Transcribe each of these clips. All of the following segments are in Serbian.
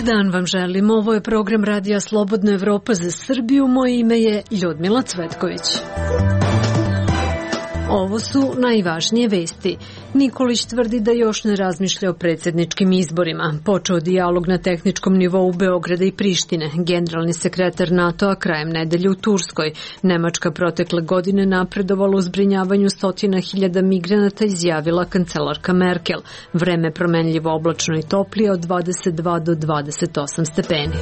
Dan vam želim. Ovo je program Radija Slobodna Evropa za Srbiju. Moje ime je Ljudmila Cvetković. Ovo su najvažnije vesti. Nikolić tvrdi da još ne razmišlja o predsjedničkim izborima. Počeo dijalog na tehničkom nivou Beograda i Prištine. Generalni sekretar NATO-a krajem nedelje u Turskoj. Nemačka protekle godine napredovala u zbrinjavanju 100.000 migranata, izjavila kancelarka Merkel. Vreme promenljivo, oblačno i toplije od 22 do 28 stepeni.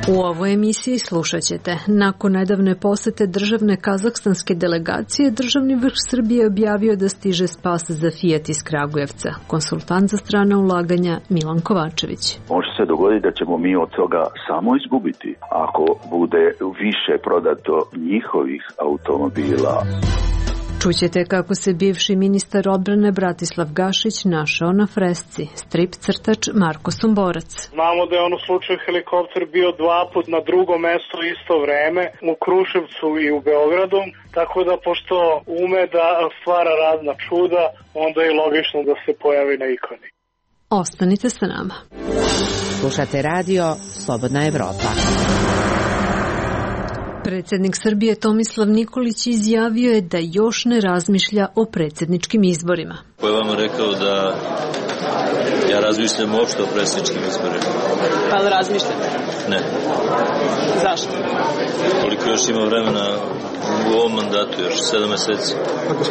U ovoj emisiji slušat ćete. Nakon nedavne posete državne kazahstanske delegacije, državni vrh Srbije objavio da stiže spas za Fiat iz Kragujevca. Konsultant za strana ulaganja Milan Kovačević. Može se dogoditi da ćemo mi od toga samo izgubiti ako bude više prodato njihovih automobila. Čućete kako se bivši ministar odbrane Bratislav Gašić našao na fresci. Strip crtač Marko Somborac. Znamo da je u slučaju helikopter bio 2 puta na drugo mesto isto vreme, u Kruševcu i u Beogradu, tako da pošto ume da stvara razna čuda, onda je logično da se pojavi na ikoni. Ostanite sa nama. Slušate radio Slobodna Evropa. Predsjednik Srbije Tomislav Nikolić izjavio je da još ne razmišlja o predsjedničkim izborima. Ko je vam rekao da ja razmišljam uopšte o predsjedničkim izborima? Pa li razmišljate? Ne. Zašto? Koliko još ima vremena u ovom mandatu, još 7 meseci.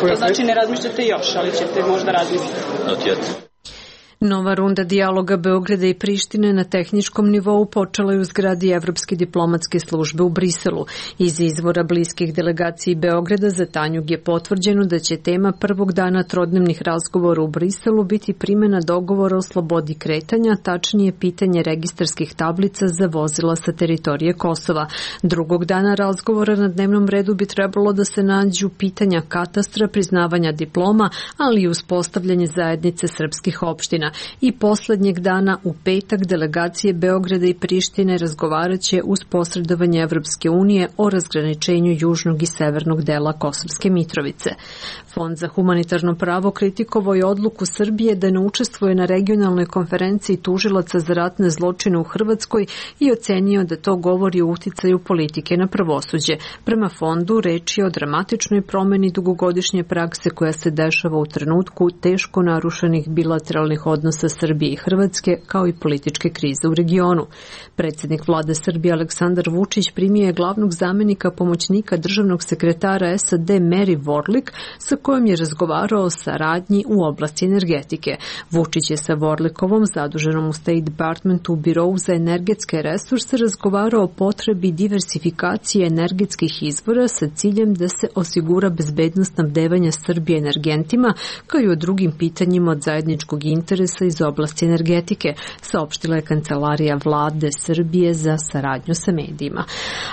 To znači ne razmišljate još, ali ćete možda razmisliti. Not yet. Nova runda dijaloga Beograda i Prištine na tehničkom nivou počela je u zgradi Evropske diplomatske službe u Briselu. Iz izvora bliskih delegaciji Beograda za Tanjug je potvrđeno da će tema prvog dana trodnevnih razgovora u Briselu biti primjena dogovora o slobodi kretanja, tačnije pitanje registarskih tablica za vozila sa teritorije Kosova. Drugog dana razgovora na dnevnom redu bi trebalo da se nađu pitanja katastra, priznavanja diploma, ali i uspostavljanje zajednice srpskih opština. I posljednjeg dana u petak delegacije Beograda i Prištine razgovarat će uz posredovanje Evropske unije o razgraničenju južnog i severnog dela Kosovske Mitrovice. Fond za humanitarno pravo kritikovao je odluku Srbije da ne učestvuje na regionalnoj konferenciji tužilaca za ratne zločine u Hrvatskoj i ocenio da to govori o uticaju politike na pravosuđe. Prema fondu reč je o dramatičnoj promjeni dugogodišnje prakse koja se dešava u trenutku teško narušenih bilateralnih odnosa Srbije i Hrvatske, kao i političke krize u regionu. Predsjednik vlade Srbije Aleksandar Vučić primio je glavnog zamjenika pomoćnika državnog sekretara SAD Mary Warlick, sa kojom je razgovarao o saradnji u oblasti energetike. Vučić je sa Warlickovom, zaduženom u State Departmentu u Birovu za energetske resurse, razgovarao o potrebi diversifikacije energetskih izvora sa ciljem da se osigura bezbednost snabdevanja Srbije energentima, kao i o drugim pitanjima od zajedničkog interesa iz oblasti energetike, saopštila je Kancelarija vlade Srbije za saradnju sa medijima.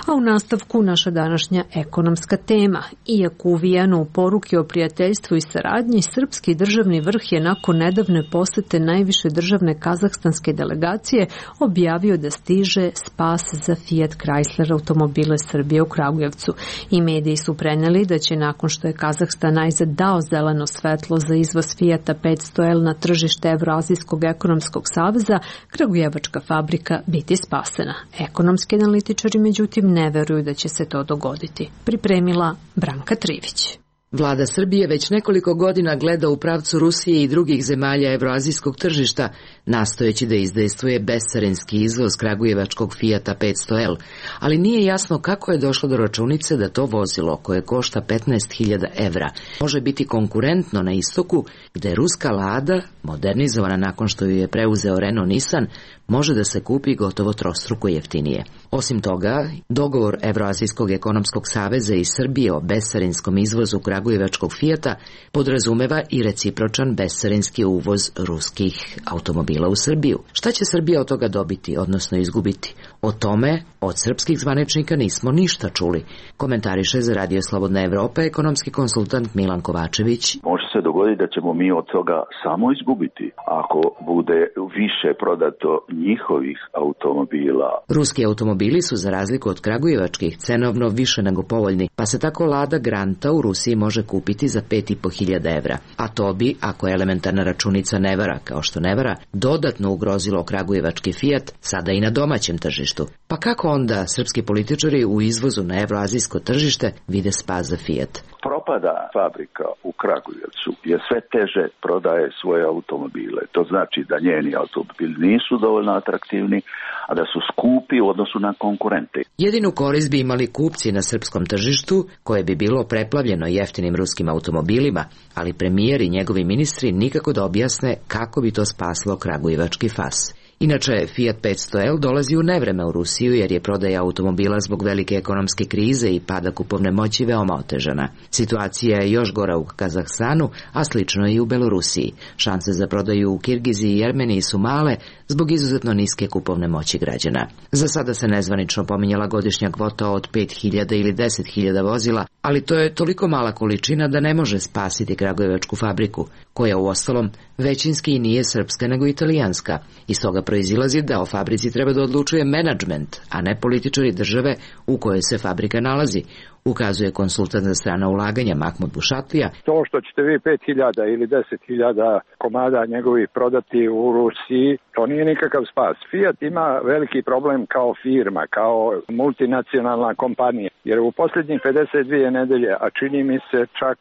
A u nastavku naša današnja ekonomska tema. Iako uvijano u poruke o prijateljstvu i saradnji, srpski državni vrh je nakon nedavne posete najviše državne kazahstanske delegacije objavio da stiže spas za Fiat Chrysler automobile Srbije u Kragujevcu. I mediji su prenijeli da će nakon što je Kazahstan najzad dao zeleno svetlo za izvoz Fiata 500L na tržište Evroazijskog ekonomskog saveza, kragujevačka fabrika biti spasena. Ekonomski analitičari međutim ne veruju da će se to dogoditi. Pripremila Branka Trivić. Vlada Srbije već nekoliko godina gleda u pravcu Rusije i drugih zemalja evroazijskog tržišta, nastojeći da izdejstvuje bescarinski izvoz kragujevačkog Fiata 500L, ali nije jasno kako je došlo do računice da to vozilo, koje košta 15.000 evra, može biti konkurentno na istoku, gde ruska Lada, modernizovana nakon što ju je preuzeo Renault Nissan, može da se kupi gotovo trostruko jeftinije. Osim toga, dogovor Evroazijskog ekonomskog saveza i Srbije o bescarinskom izvozu kragujevačkog Fijata podrazumeva i recipročan bescarinski uvoz ruskih automobila u Srbiju. Šta će Srbija od toga dobiti, odnosno izgubiti? O tome od srpskih zvaničnika nismo ništa čuli. Komentariše za Radio Slobodna Evropa ekonomski konsultant Milan Kovačević. Može se dogoditi da ćemo mi od toga samo izgubiti ako bude više prodato njihovih automobila. Ruski automobili su za razliku od kragujevačkih cenovno više nego povoljni, pa se tako Lada Granta u Rusiji može kupiti za 5.500 evra. A to bi, ako elementarna računica ne vara, kao što ne vara, dodatno ugrozilo kragujevački Fiat sada i na domaćem tržištu. Pa kako onda srpski političari u izvozu na evroazijsko tržište vide spas za Fiat? Propada fabrika u Kragujevcu jer sve teže prodaje svoje automobile. To znači da njeni automobili nisu dovoljno atraktivni, a da su skupi u odnosu na konkurente. Jedinu korist bi imali kupci na srpskom tržištu, koje bi bilo preplavljeno jeftinim ruskim automobilima, ali premijer i njegovi ministri nikako da objasne kako bi to spaslo kragujevački FAS. Inače, Fiat 500L dolazi u nevreme u Rusiju jer je prodaja automobila zbog velike ekonomske krize i pada kupovne moći veoma otežana. Situacija je još gora u Kazahstanu, a slično i u Belorusiji. Šanse za prodaju u Kirgiziji i Armeniji su male zbog izuzetno niske kupovne moći građana. Za sada se nezvanično pominjala godišnja kvota od 5.000 ili 10.000 vozila, ali to je toliko mala količina da ne može spasiti kragujevačku fabriku, koja uostalom većinski i nije srpska nego italijanska. Iz toga proizilazi da o fabrici treba da odlučuje menadžment, a ne političari države u kojoj se fabrika nalazi, ukazuje konsultant za strana ulaganja Mahmud Bušatlija. To što ćete vi 5.000 ili 10.000 komada njegovih prodati u Rusiji, to nije nikakav spas. Fiat ima veliki problem kao firma, kao multinacionalna kompanija, jer u posljednjih 52 nedelje, a čini mi se čak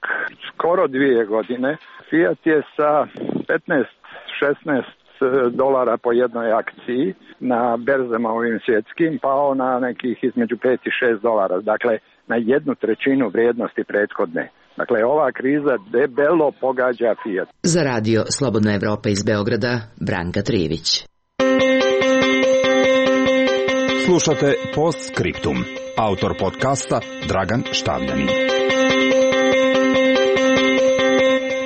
skoro 2 godine, Fiat je sa 15-16 dolara po jednoj akciji na berzama ovim svjetskim pao na nekih između 5 i 6 dolara. Dakle, na 1/3 vrijednosti prethodne. Dakle, ova kriza debelo pogađa Fiat. Za radio Slobodna Evropa iz Beograda, Branka Trijević. Slušate Postscriptum. Autor podcasta Dragan Štavljanin.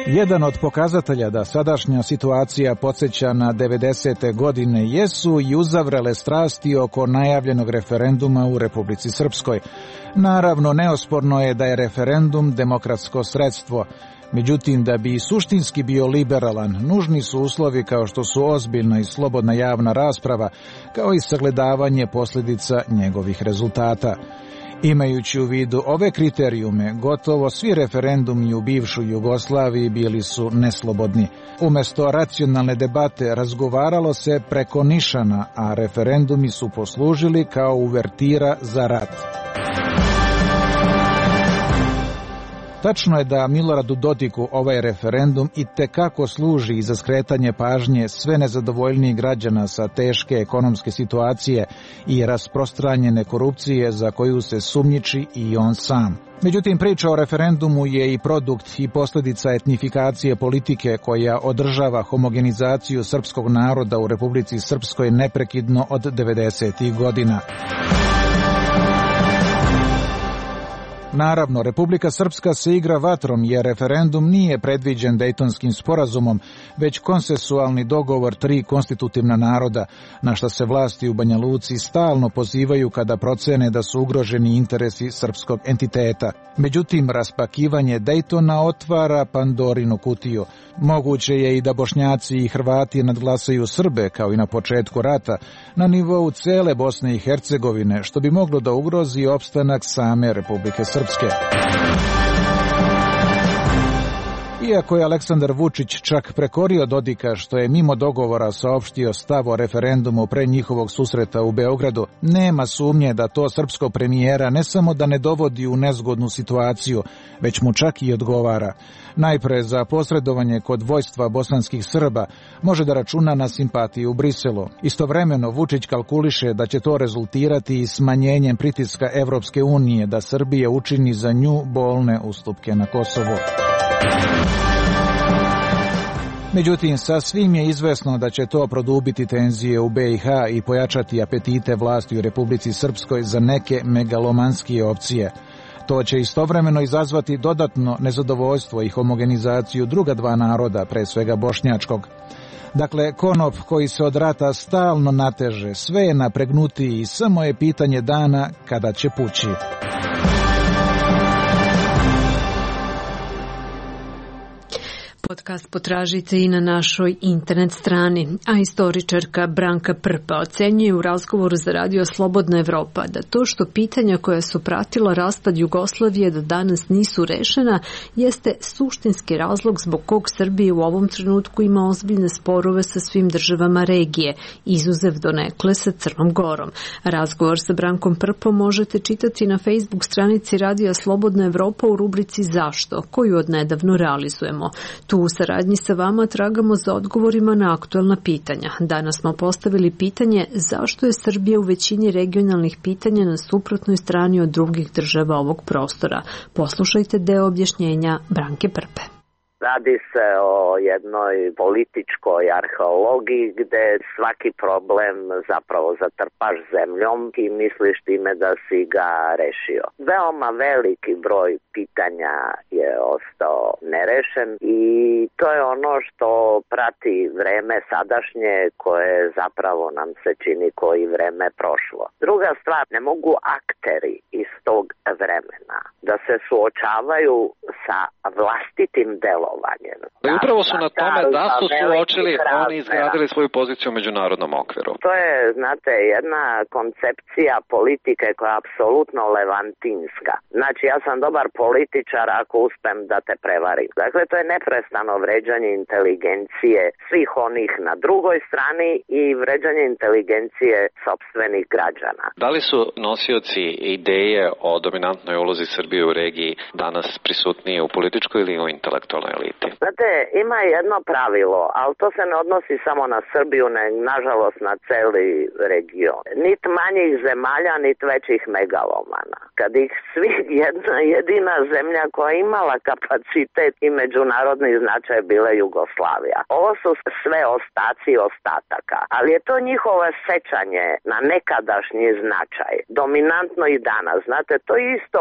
Jedan od pokazatelja da sadašnja situacija podsjeća na 90. godine jesu i uzavrele strasti oko najavljenog referenduma u Republici Srpskoj. Naravno, neosporno je da je referendum demokratsko sredstvo. Međutim, da bi suštinski bio liberalan, nužni su uslovi kao što su ozbiljna i slobodna javna rasprava, kao i sagledavanje posljedica njegovih rezultata. Imajući u vidu ove kriterijume, gotovo svi referendumi u bivšoj Jugoslaviji bili su neslobodni. Umjesto racionalne debate razgovaralo se preko nišana, a referendumi su poslužili kao uvertira za rat. Tačno je da Miloradu Dodiku ovaj referendum itekako služi za skretanje pažnje sve nezadovoljnijih građana sa teške ekonomske situacije i rasprostranjene korupcije za koju se sumnjiči i on sam. Međutim, priča o referendumu je i produkt i posljedica etnifikacije politike koja održava homogenizaciju srpskog naroda u Republici Srpskoj neprekidno od 90. godina. Naravno, Republika Srpska se igra vatrom jer referendum nije predviđen Dejtonskim sporazumom, već konsensualni dogovor 3 konstitutivna naroda, na što se vlasti u Banja Luci stalno pozivaju kada procene da su ugroženi interesi srpskog entiteta. Međutim, raspakivanje Dejtona otvara Pandorinu kutiju. Moguće je i da Bošnjaci i Hrvati nadglasaju Srbe, kao i na početku rata, na nivou cele Bosne i Hercegovine, što bi moglo da ugrozi opstanak same Republike Srpske. Iako je Aleksandar Vučić čak prekorio Dodika što je mimo dogovora saopštio stav o referendumu pre njihovog susreta u Beogradu, nema sumnje da to srpskog premijera ne samo da ne dovodi u nezgodnu situaciju, već mu čak i odgovara. Najpre za posredovanje kod vojstva bosanskih Srba može da računa na simpatiju u Briselu. Istovremeno Vučić kalkuliše da će to rezultirati i smanjenjem pritiska Evropske unije da Srbija učini za nju bolne ustupke na Kosovu. Međutim, sasvim je izvesno da će to produbiti tenzije u BiH i pojačati apetite vlasti u Republici Srpskoj za neke megalomanskije opcije. To će istovremeno izazvati dodatno nezadovoljstvo i homogenizaciju druga 2 naroda, pre svega bošnjačkog. Dakle, konop koji se od rata stalno nateže, sve je napregnutiji i samo je pitanje dana kada će pući. Podcast potražite i na našoj internet strani, a istoričarka Branka Prpa ocenjuje u razgovoru za Radio Slobodna Evropa da to što pitanja koja su pratila raspad Jugoslavije do danas nisu rešena jeste suštinski razlog zbog kog Srbija u ovom trenutku ima ozbiljne sporove sa svim državama regije, izuzev donekle sa Crnom Gorom. Razgovor sa Brankom Prpom možete čitati na Facebook stranici Radija Slobodna Evropa u rubrici Zašto, koju odnedavno realizujemo. Tu u saradnji sa vama tragamo za odgovorima na aktuelna pitanja. Danas smo postavili pitanje zašto je Srbija u većini regionalnih pitanja na suprotnoj strani od drugih država ovog prostora. Poslušajte deo objašnjenja Branke Prpe. Radi se o jednoj političkoj arheologiji gde svaki problem zapravo zatrpaš zemljom i misliš time da si ga rešio. Veoma veliki broj pitanja je ostao nerešen i to je ono što prati vreme sadašnje koje zapravo nam se čini koji vreme prošlo. Druga stvar, ne mogu akteri iz tog vremena da se suočavaju sa vlastitim delovanjem. I upravo su na tome da su suočili, oni izgradili svoju poziciju u međunarodnom okviru. To je, znate, jedna koncepcija politike koja je apsolutno levantinska. Znači, ja sam dobar političar ako uspem da te prevarim. Dakle, to je neprestano vređanje inteligencije svih onih na drugoj strani i vređanje inteligencije sopstvenih građana. Da li su nosioci ideje o dominantnoj ulozi Srbije u regiji danas prisutniji u političkoj ili u intelektualnoj eliti? Znate, ima jedno pravilo, ali to se ne odnosi samo na Srbiju, nažalost na celi region. Nit manjih zemalja, nit većih megalomana. Kad ih svi jedna jedina zemlja koja je imala kapacitet i međunarodni značaj bila Jugoslavija. Ovo su sve ostaci ostataka, ali je to njihovo sećanje na nekadašnji značaj. Dominantno i danas. Znate, to je isto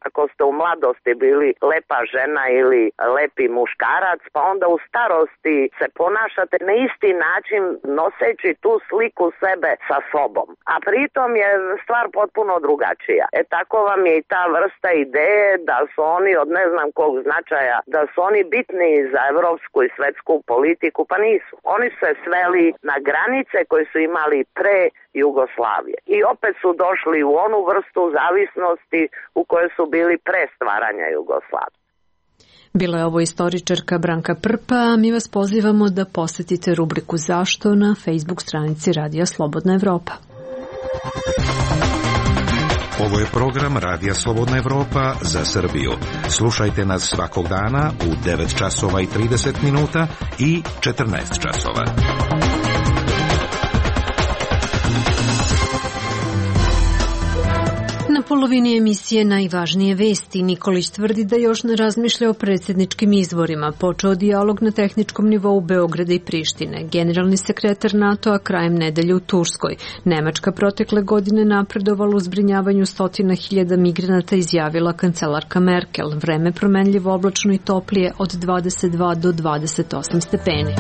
ako ste u mladosti bili lepa žena ili lepi muškarac, pa onda u starosti se ponašate na isti način noseći tu sliku sebe sa sobom. A pritom je stvar potpuno drugačija. Tako vam je i ta vrsta ideje da su oni od ne znam kog značaja, da su oni bitni za evropsku i svetsku politiku, pa nisu. Oni se sveli na granice koje su imali pre Jugoslavije. I opet su došli u onu vrstu zavisnosti u kojoj su bili pre stvaranja Jugoslavije. Bila je ovo istoričarka Branka Prpa, a mi vas pozivamo da posetite rubriku Zašto na Facebook stranici Radija Slobodna Evropa. Ovo je program Radija Slobodna Evropa za Srbiju. Slušajte nas svakog dana u 9 časova i 30 minuta i 14 časova. Na polovini emisije Najvažnije vesti Nikolić tvrdi da još ne razmišlja o predsjedničkim izborima. Počeo dijalog na tehničkom nivou Beograda i Prištine. Generalni sekretar NATO-a krajem nedelje u Turskoj. Nemačka protekle godine napredovala u zbrinjavanju 100.000 migranata, izjavila kancelarka Merkel. Vreme promenljivo, oblačno i toplije od 22 do 28 stepeni.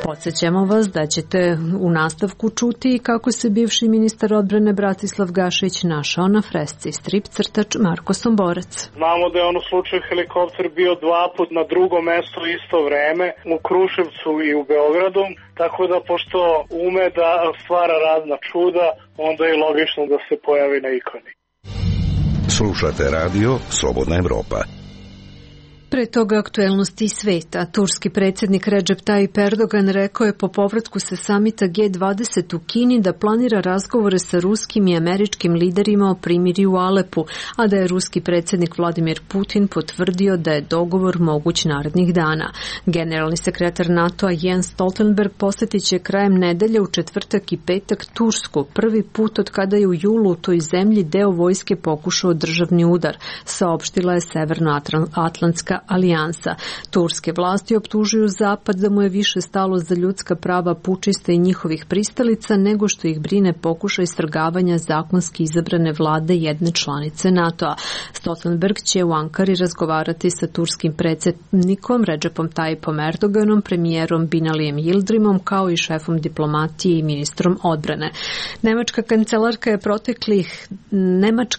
Podsjećamo vas da ćete u nastavku čuti kako se bivši ministar odbrane Bratislav Gašić našao na fresci. Strip crtač Marko Somborec. Znamo da je on u slučaju helikopter bio 2 puta na drugom mestu isto vreme, u Kruševcu i u Beogradu, tako da pošto ume da stvara razna čuda, onda je logično da se pojavi na ikoni. Slušate radio Slobodna Evropa. Pre toga aktuelnosti sveta. Turski predsjednik Recep Tayyip Erdogan rekao je po povratku sa samita G20 u Kini da planira razgovore sa ruskim i američkim liderima o primirju u Alepu, a da je ruski predsjednik Vladimir Putin potvrdio da je dogovor moguć narednih dana. Generalni sekretar NATO-a Jens Stoltenberg posjetit će krajem nedelje u četvrtak i petak Tursku, prvi put od kada je u julu u toj zemlji deo vojske pokušao državni udar, saopštila je Severnoatlantska alijansa. Turske vlasti optužuju Zapad da mu je više stalo za ljudska prava pučista i njihovih pristalica nego što ih brine pokušaj svrgavanja zakonski izabrane vlade jedne članice NATO-a. Stoltenberg će u Ankari razgovarati sa turskim predsjednikom Recepom Tayyipom Erdoganom, premijerom Binalijem Yildirimom kao i šefom diplomatije i ministrom odbrane. Nemačka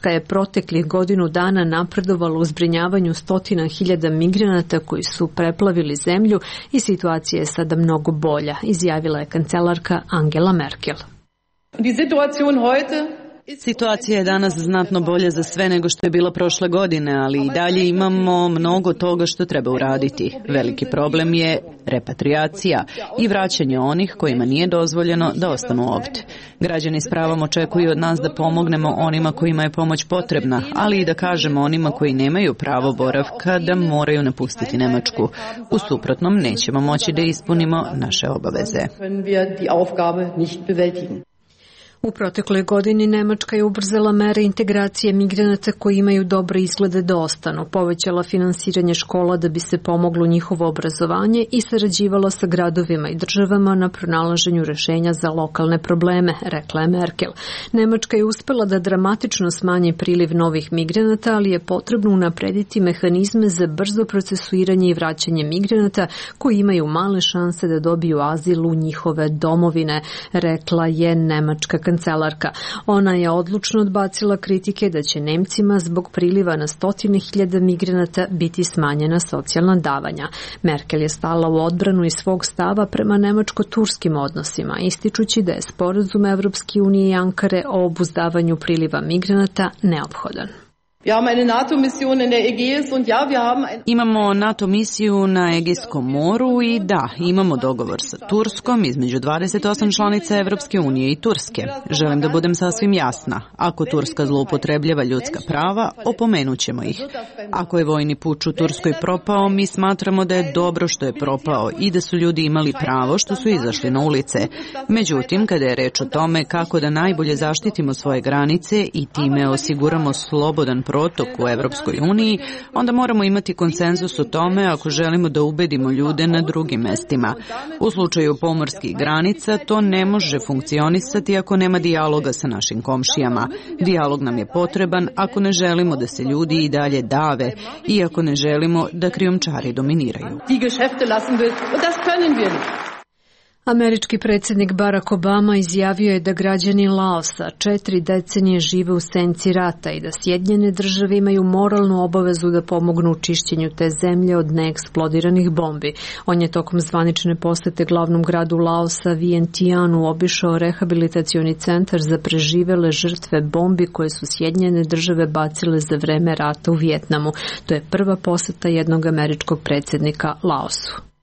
je proteklih godinu dana napredovala u zbrinjavanju 100.000 migranata koji su preplavili zemlju i situacija je sada mnogo bolja, izjavila je kancelarka Angela Merkel. Situacija je danas znatno bolja za sve nego što je bila prošle godine, ali i dalje imamo mnogo toga što treba uraditi. Veliki problem je repatriacija i vraćanje onih kojima nije dozvoljeno da ostanu ovdje. Građani s pravom očekuju od nas da pomognemo onima kojima je pomoć potrebna, ali i da kažemo onima koji nemaju pravo boravka da moraju napustiti Nemačku. U suprotnom nećemo moći da ispunimo naše obaveze. U protekloj godini Nemačka je ubrzala mere integracije migranata koji imaju dobre izglede da ostanu, povećala finansiranje škola da bi se pomoglo njihovo obrazovanje i sarađivala sa gradovima i državama na pronalaženju rešenja za lokalne probleme, rekla je Merkel. Nemačka je uspela da dramatično smanji priliv novih migranata, ali je potrebno unaprediti mehanizme za brzo procesuiranje i vraćanje migranata koji imaju male šanse da dobiju azil u njihove domovine, rekla je nemačka kancelarka. Ona je odlučno odbacila kritike da će Nemcima zbog priliva na 100.000 migranata biti smanjena socijalna davanja. Merkel je stala u odbranu iz svog stava prema nemačko-turskim odnosima, ističući da je sporazum Evropske unije i Ankare o obuzdavanju priliva migranata neophodan. Imamo NATO misiju na Egejskom moru i da, imamo dogovor sa Turskom između 28 članica Evropske unije i Turske. Želim da budem sasvim jasna. Ako Turska zloupotrebljava ljudska prava, opomenut ćemo ih. Ako je vojni puč u Turskoj propao, mi smatramo da je dobro što je propao i da su ljudi imali pravo što su izašli na ulice. Međutim, kada je reč o tome kako da najbolje zaštitimo svoje granice i time osiguramo slobodan protok u Evropskoj uniji, onda moramo imati konsenzus o tome ako želimo da ubedimo ljude na drugim mestima. U slučaju pomorskih granica to ne može funkcionisati ako nema dijaloga sa našim komšijama. Dijalog nam je potreban ako ne želimo da se ljudi i dalje dave i ako ne želimo da krijumčari dominiraju. Američki predsjednik Barack Obama izjavio je da građani Laosa 4 decenije žive u senci rata i da Sjedinjene države imaju moralnu obavezu da pomognu u čišćenju te zemlje od neeksplodiranih bombi. On je tokom zvanične posete glavnom gradu Laosa Vientianu obišao rehabilitacioni centar za preživele žrtve bombi koje su Sjedinjene države bacile za vreme rata u Vijetnamu. To je prva poseta jednog američkog predsjednika Laosu.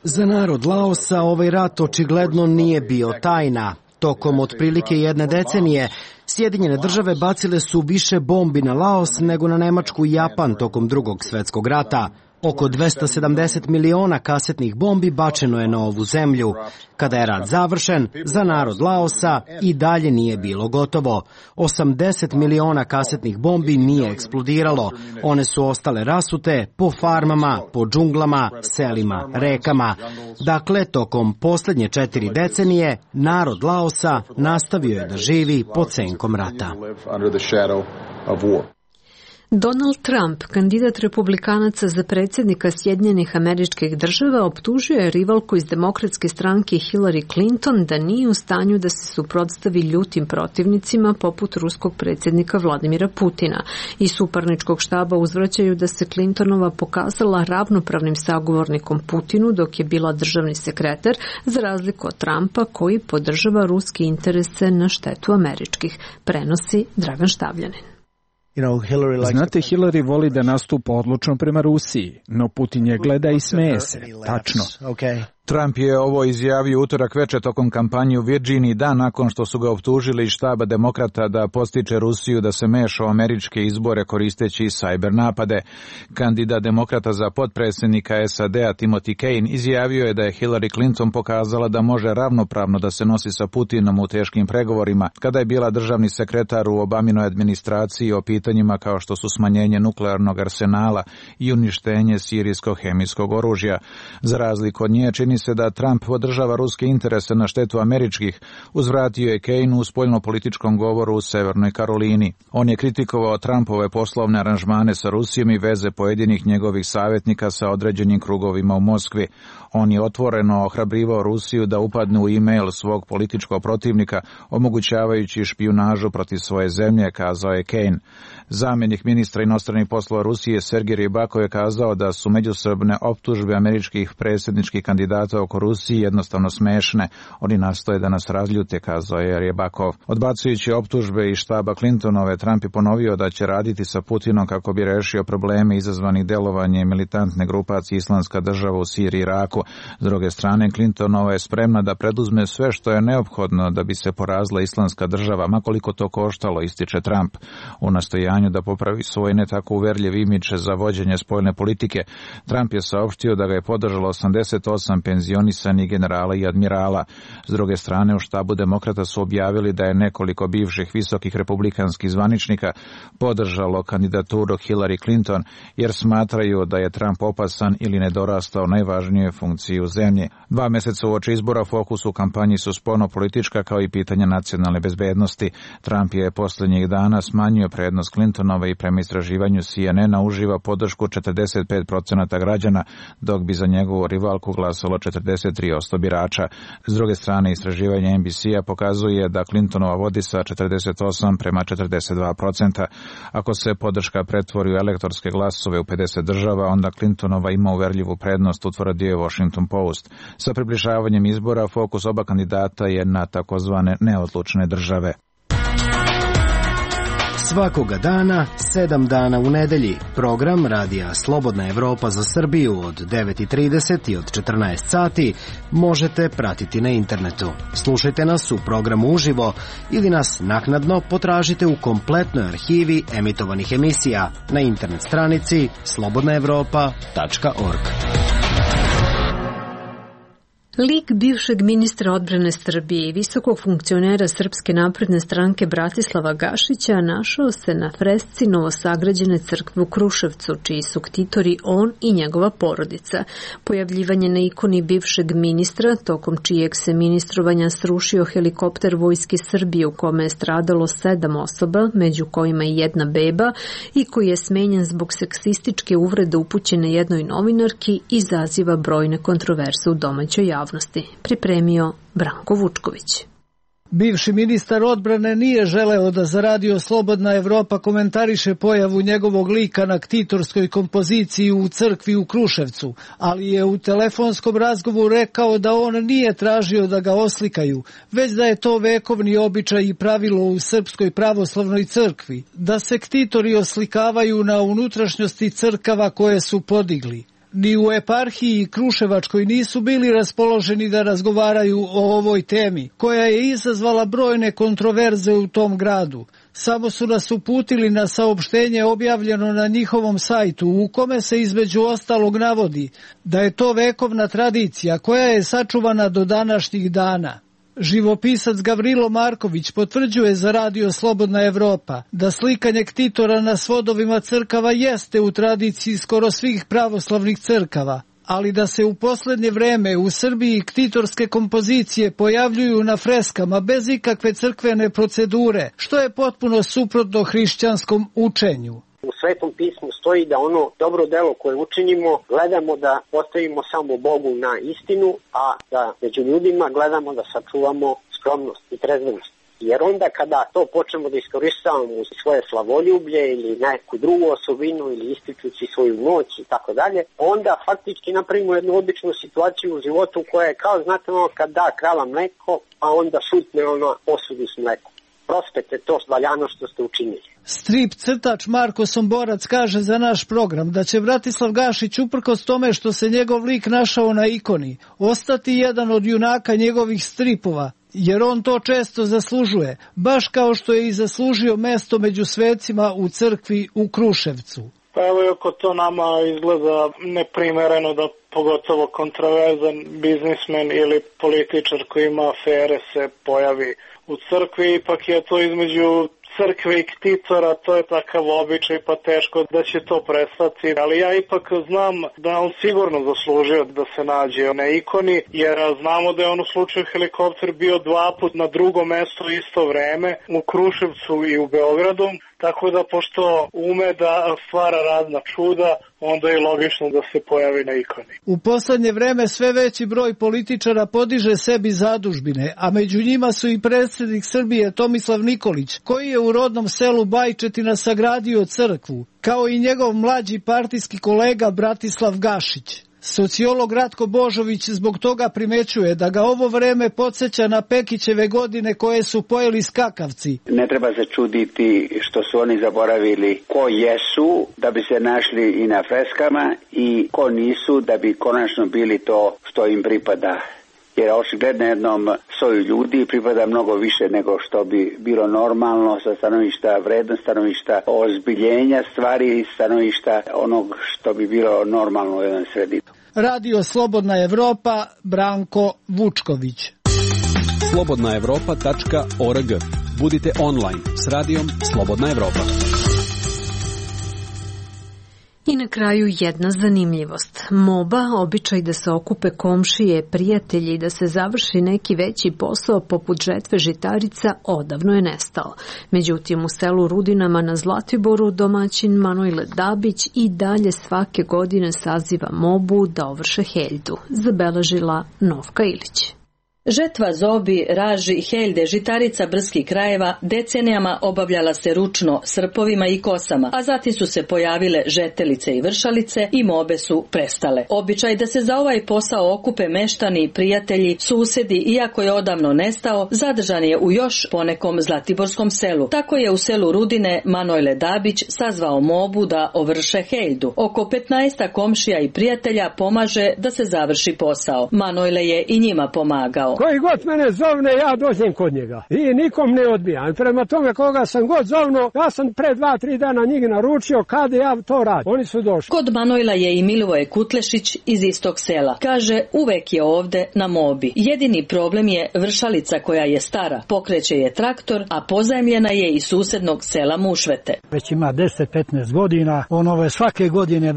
Za narod Laosa ovaj rat očigledno nije bio tajna. Tokom otprilike 1 decenije Sjedinjene države bacile su više bombi na Laos nego na Nemačku i Japan tokom Drugog svjetskog rata. Oko 270 miliona kasetnih bombi bačeno je na ovu zemlju. Kada je rat završen, za narod Laosa i dalje nije bilo gotovo. 80 miliona kasetnih bombi nije eksplodiralo. One su ostale rasute po farmama, po džunglama, selima, rekama. Dakle, tokom posljednje 4 decenije, narod Laosa nastavio je da živi pod senkom rata. Donald Trump, kandidat republikanaca za predsjednika Sjedinjenih Američkih Država, optužio je rivalku iz demokratske stranke Hillary Clinton da nije u stanju da se suprotstavi ljutim protivnicima poput ruskog predsjednika Vladimira Putina. Iz suparničkog štaba uzvraćaju da se Clintonova pokazala ravnopravnim sagovornikom Putinu dok je bila državni sekretar, za razliku od Trumpa koji podržava ruske interese na štetu američkih, prenosi Dragan Štavljanin. Znate, Hillary voli da nastupa odlučno prema Rusiji, no Putin je gleda i smeje se. Tačno. Trump je ovo izjavio utorak veče tokom kampanje u Virginiji, dan nakon što su ga optužili iz štaba demokrata da podstiče Rusiju da se meša u američke izbore koristeći sajber napade. Kandidat demokrata za potpredsjednika SAD-a Timothy Kane izjavio je da je Hillary Clinton pokazala da može ravnopravno da se nosi sa Putinom u teškim pregovorima kada je bila državni sekretar u Obaminoj administraciji o pitanjima kao što su smanjenje nuklearnog arsenala i uništenje sirijskog hemijskog oružja. Za razliku od nje, čini mi se da Trump podržava ruske interese na štetu američkih, uzvratio je Kane u spoljno-političkom govoru u Severnoj Karolini. On je kritikovao Trumpove poslovne aranžmane sa Rusijom i veze pojedinih njegovih savjetnika sa određenim krugovima u Moskvi. On je otvoreno ohrabrivao Rusiju da upadne u e-mail svog političkog protivnika, omogućavajući špijunažu protiv svoje zemlje, kazao je Kane. Zamjenik ministra inostranih poslova Rusije Sergej Rybakov je kazao da su međusobne optužbe američkih predsjedničkih kandidata oko Rusije jednostavno smešne. Oni nastoje da nas razljute, kazao je Rybakov. Odbacujući optužbe iz štaba Clintonove, Trump je ponovio da će raditi sa Putinom kako bi rešio probleme izazvanih delovanjem militantne grupacije Islamska država u Siriji i Iraku. S druge strane, Clintonova je spremna da preduzme sve što je neophodno da bi se porazila Islamska država, makoliko to koštalo, ističe Trump. U nastojanju da popravi svoj ne tako uverljiv imidž za vođenje spoljne politike, Trump je saopštio da ga je podržalo 88 penzionisanih generala i admirala. S druge strane, u štabu demokrata su objavili da je nekoliko bivših visokih republikanskih zvaničnika podržalo kandidaturu Hillary Clinton, jer smatraju da je Trump opasan ili nedorastao najvažnijoj funkciji u zemlji. 2 meseca uoči izbora fokus u kampanji su spoljno-politička kao i pitanja nacionalne bezbednosti. Trump je posljednjih dana smanjio prednost Clintonove i prema istraživanju CNN-a uživa podršku 45% građana, dok bi za njegovu rivalku glasalo 43% birača. S druge strane, istraživanje NBC-a pokazuje da Clintonova vodi sa 48 prema 42%. Ako se podrška pretvori u elektorske glasove u 50 država, onda Clintonova ima uverljivu prednost, utvrdio je Washington Post. Sa približavanjem izbora, fokus oba kandidata je na takozvane neodlučne države. Svakoga dana, 7 dana u nedelji. Program Radija Slobodna Evropa za Srbiju od 9:30 i od 14 sati možete pratiti na internetu. Slušajte nas u programu uživo ili nas naknadno potražite u kompletnoj arhivi emitovanih emisija na internet stranici slobodnaevropa.org. Lik bivšeg ministra odbrane Srbije i visokog funkcionera Srpske napredne stranke Bratislava Gašića našao se na fresci novosagrađene crkve u Kruševcu, čiji su ktitori on i njegova porodica. Pojavljivanje na ikoni bivšeg ministra, tokom čijeg se ministrovanja srušio helikopter Vojske Srbije u kome je stradalo 7 osoba, među kojima i jedna beba, i koji je smenjen zbog seksističke uvrede upućene jednoj novinarki, izaziva brojne kontroverze u domaćoj javnosti. Pripremio Branko Vučković. Bivši ministar odbrane nije želeo da za Radio Slobodna Evropa komentariše pojavu njegovog lika na ktitorskoj kompoziciji u crkvi u Kruševcu, ali je u telefonskom razgovoru rekao da on nije tražio da ga oslikaju, već da je to vekovni običaj i pravilo u Srpskoj pravoslavnoj crkvi, da se ktitori oslikavaju na unutrašnjosti crkava koje su podigli. Ni u eparhiji Kruševačkoj nisu bili raspoloženi da razgovaraju o ovoj temi, koja je izazvala brojne kontroverze u tom gradu. Samo su nas uputili na saopštenje objavljeno na njihovom sajtu, u kome se između ostalog navodi da je to vekovna tradicija koja je sačuvana do današnjih dana. Živopisac Gavrilo Marković potvrđuje za Radio Slobodna Evropa da slikanje ktitora na svodovima crkava jeste u tradiciji skoro svih pravoslavnih crkava, ali da se u posljednje vreme u Srbiji ktitorske kompozicije pojavljuju na freskama bez ikakve crkvene procedure, što je potpuno suprotno hrišćanskom učenju. U Svetom pismu stoji da ono dobro delo koje učinimo gledamo da postavimo samo Bogu na istinu, a da među ljudima gledamo da sačuvamo skromnost i trezvenost. Jer onda kada to počnemo da iskoristavamo u svoje slavoljublje ili neku drugu osobinu ili ističući svoju moć i tako dalje, onda faktički napravimo jednu običnu situaciju u životu koja je kao, znate, ono kad da krava mleko, a onda šutne ono posudu s mlekom. Prospete to valjano što ste učinili. Strip crtač Marko Somborac kaže za naš program da će Bratislav Gašić, uprkos tome što se njegov lik našao na ikoni, ostati jedan od junaka njegovih stripova, jer on to često zaslužuje, baš kao što je i zaslužio mesto među svecima u crkvi u Kruševcu. Pa evo, ako to nama izgleda neprimereno da pogotovo kontroverzan biznismen ili političar koji ima afere se pojavi u crkvi, ipak je to između crkve i ktitora, to je takav običaj, pa teško da će to prestati. Ali ja ipak znam da on sigurno zaslužio da se nađe na ikoni, jer znamo da je on u slučaju helikopter bio 2 puta na drugom mestu isto vreme, u Kruševcu i u Beogradu. Tako da, pošto ume da stvara razna čuda, onda je logično da se pojavi na ikoni. U poslednje vreme sve veći broj političara podiže sebi zadužbine, a među njima su i predsjednik Srbije Tomislav Nikolić, koji je u rodnom selu Bajčetina sagradio crkvu, kao i njegov mlađi partijski kolega Bratislav Gašić. Sociolog Ratko Božović zbog toga primećuje da ga ovo vreme podsjeća na Pekićeve godine koje su pojeli skakavci. Ne treba se čuditi što su oni zaboravili ko jesu da bi se našli i na freskama i ko nisu da bi konačno bili to što im pripada. Jer očigledno jednom soju ljudi pripada mnogo više nego što bi bilo normalno sa stanovišta vrednosti, stanovišta ozbiljenja stvari, stanovišta onog što bi bilo normalno u jednom sredinu. Radio Slobodna Evropa, Branko Vučković. slobodnaevropa.org. Budite online s radijom Slobodna Evropa. I na kraju jedna zanimljivost. Moba, običaj da se okupe komšije, prijatelji i da se završi neki veći posao poput žetve žitarica, odavno je nestao. Međutim, u selu Rudinama na Zlatiboru domaćin Manojle Dabić i dalje svake godine saziva mobu da ovrše heljdu, zabeležila Novka Ilić. Žetva zobi, raži, heljde, žitarica brdskih krajeva decenijama obavljala se ručno srpovima i kosama, a zatim su se pojavile žetelice i vršalice i mobe su prestale. Običaj da se za ovaj posao okupe meštani, prijatelji, susedi, iako je odavno nestao, zadržan je u još ponekom zlatiborskom selu. Tako je u selu Rudine Manojle Dabić sazvao mobu da ovrše heljdu. Oko 15 komšija i prijatelja pomaže da se završi posao. Manojle je i njima pomagao. Koji god mene zovne, ja dođem kod njega i nikom ne odbijam. Prema tome koga sam god zovno, ja sam pre 2-3 dana njih naručio kad ja to radim. Oni su došli. Kod Manojla je i Milivoje Kutlešić iz istog sela. Kaže, uvek je ovde na mobi. Jedini problem je vršalica koja je stara. Pokreće je traktor, a pozajmljena je iz susednog sela Mušvete. Već ima 10-15 godina. On svake godine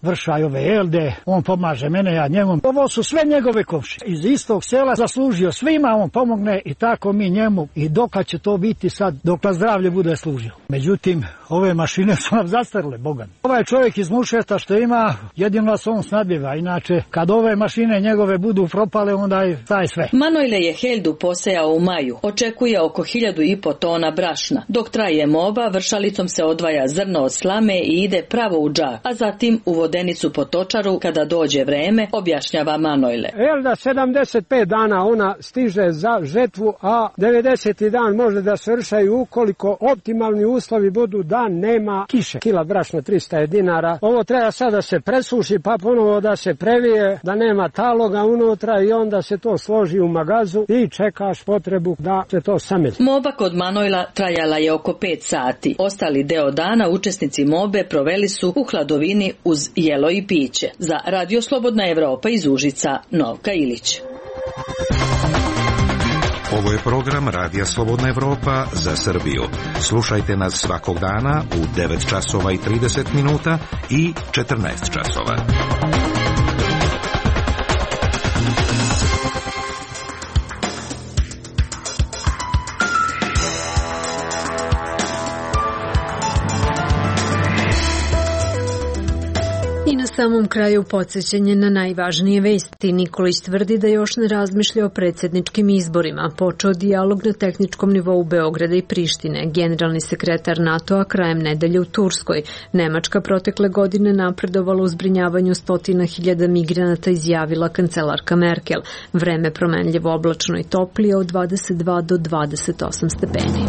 vrša ove elde. On pomaže mene, ja njemu. Ovo su sve njegove komšije. Iz istog sela zaslužio svima, on pomogne i tako mi njemu. I dokad će to biti sad, dok zdravlje bude služio. Međutim, ove mašine su nam zastarle, Bogan. Ovaj čovjek iz Mušveta što ima, jedino nas on snadbiva. Inače, kad ove mašine njegove budu propale, onda je taj sve. Manojle je heljdu posejao u maju. Očekuje oko 1500 tona brašna. Dok traje moba, vršalicom se odvaja zrno od slame i ide pravo u džak, a zatim u vodenicu po točaru kada dođe vreme, objašnjava Manojle. Elda 75 dana ona stiže za žetvu, a 90. dan može da se vršaju ukoliko optimalni uslovi budu da nema kiše. Kila brašna 300 dinara. Ovo treba sad da se presuši pa ponovo da se previje, da nema taloga unutra i onda se to složi u magazu i čekaš potrebu da se to sameli. Moba kod Manojla trajala je oko 5 sati. Ostali deo dana učesnici mobe proveli su u hladovini uz jelo i piće. Za Radio Slobodna Evropa iz Užica, Novka Ilić. Ovo je program Radija Slobodna Evropa za Srbiju. Slušajte nas svakog dana u 9 časova i 30 minuta i 14 časova. I na samom kraju podsjećanje na najvažnije vesti. Nikolić tvrdi da još ne razmišlja o predsjedničkim izborima. Počeo dijalog na tehničkom nivou Beograda i Prištine. Generalni sekretar NATO-a krajem nedelje u Turskoj. Nemačka protekle godine napredovala u zbrinjavanju 100.000 migranata, izjavila kancelarka Merkel. Vreme promenljivo, oblačno i toplije od 22 do 28 stepeni.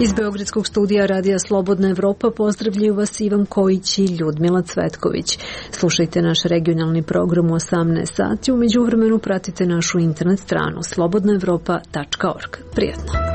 Iz Beogradskog studija Radija Slobodna Evropa pozdravljaju vas Ivan Kojić i Ljudmila Cvetković. Slušajte naš regionalni program u 18 sati. U međuvremenu pratite našu internet stranu slobodnaevropa.org. Prijetno!